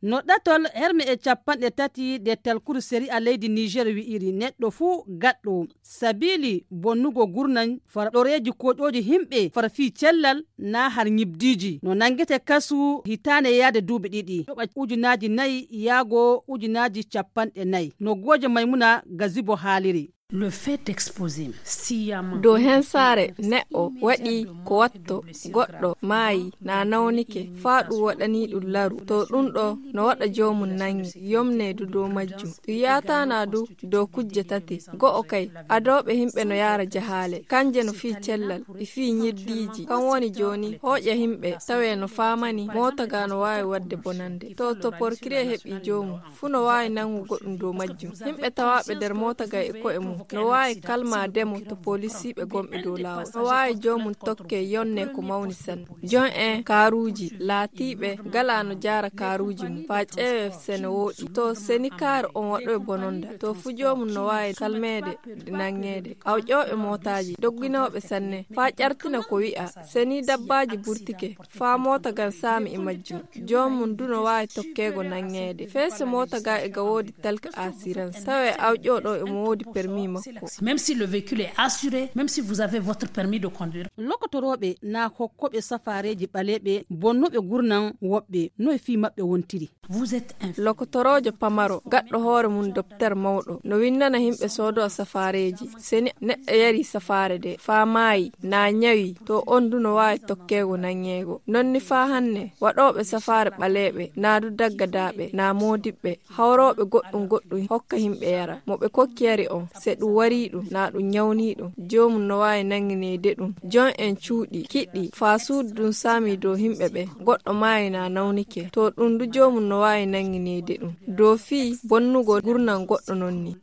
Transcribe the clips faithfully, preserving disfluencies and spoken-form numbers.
No ɗatol herme e capanɗe tati de talkuru seri a leydi niger wi'iri neɗɗo fuu gaɗɗo sabili bonnugo gurnan fara ɗoreeji koƴooji himɓe fara fii cellal naa har ñibdiiji no nanngete kasu hitaane yaade duuɓi ɗiɗi yoɓa ujunaaji nayi yaago ujunaaji capanɗe nayi no gooje maymuna gazibo haaliri. Le fait d'exposer sciemment dow hensaare neɗɗo waɗi ko watto goɗɗo maayi na nawnike faa ɗum waɗani ɗum laru to ɗum ɗo no waɗa joomum nangi yomneedu dow majjum ɗum yaataana du dow kujje tati go'o kay adooɓe himɓe no yaara jahaale kanje no fii cellal e fii ñiddiiji kan woni jooni hooƴa himɓe tawe no faamani moota ga no waawi waɗde bonande to to porkire heɓi joomum fuu no waawi nangu goɗɗum dow majjum yimɓe tawaaɓe nder moota gay e ko'e mum no waawi kalmaade mo to polisiiɓe gonɓe dow laawol no waawi joomum tokke yonne ko mawni sanne jon en kaaruuji laatiiɓe gala no jaara kaaruuji mum faa ƴeewe sene wooɗi to seni kaari on waɗoy bononda to fuu joomum no waawi kalmeede nangeede awƴooɓe mootaaji dogginooɓe sanne faa ƴartina ko wi'a seni dabbaaji burtike faa moota gan saami e majjum joomum du no waawi tokkeego nangeede feese moota ga e ga woodi talka asirans tawe awƴo ɗo emo woodi permis makko même si le véhicule est assuré même si vous avez votre permis de conduire lokotorooɓe naa hokkooɓe safaareeji ɓaleeɓe bonnuɓe gurnan woɓɓe no e fii maɓɓe wontiri vous êtes un lokotoroojo pamaro gaɗɗo hoore mum dopter mawɗo no windana himɓe soodo safaareeji seni neɗɗo yari safaare de faa maayi naa ñawi to on du no waawi tokkeego nangeego non ni faa hanne waɗooɓe safaare ɓaleeɓe naa du daggadaaɓe naa moodiɓɓe hawrooɓe goɗɗum goɗɗum hokka himɓe yara mo ɓe kokki yari on se ɗum warii ɗum naa ɗum ñawnii ɗum joomum no waawi nangineede ɗum jon en cuuɗi kiɗɗi faa suudu ɗum saami dow himɓe ɓe goɗɗo maayi naa nawnike to ɗum du joomum no waawi nangineede ɗum dow fii bonnugo gurnam goɗɗo non ni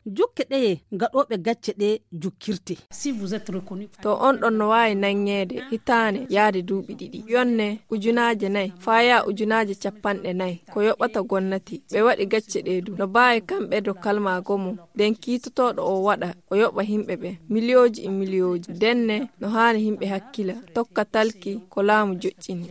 jukke ɗeye gaɗooɓe gacce ɗe jukkirte to on ɗon no waawi nangeede hitaane yaade duuɓi ɗiɗi yonne ujunaaje nayi faa yaa ujunaaje capanɗe nayi ko yoɓata gonnati ɓe waɗi gacce ɗe du no baawi kamɓe do kalmaago mum nden kiitotooɗo o waɗa o yoɓa himɓe ɓe miliyooji e miliyooji ndenne no haani himɓe hakkila tokka talki ko laamu joƴƴini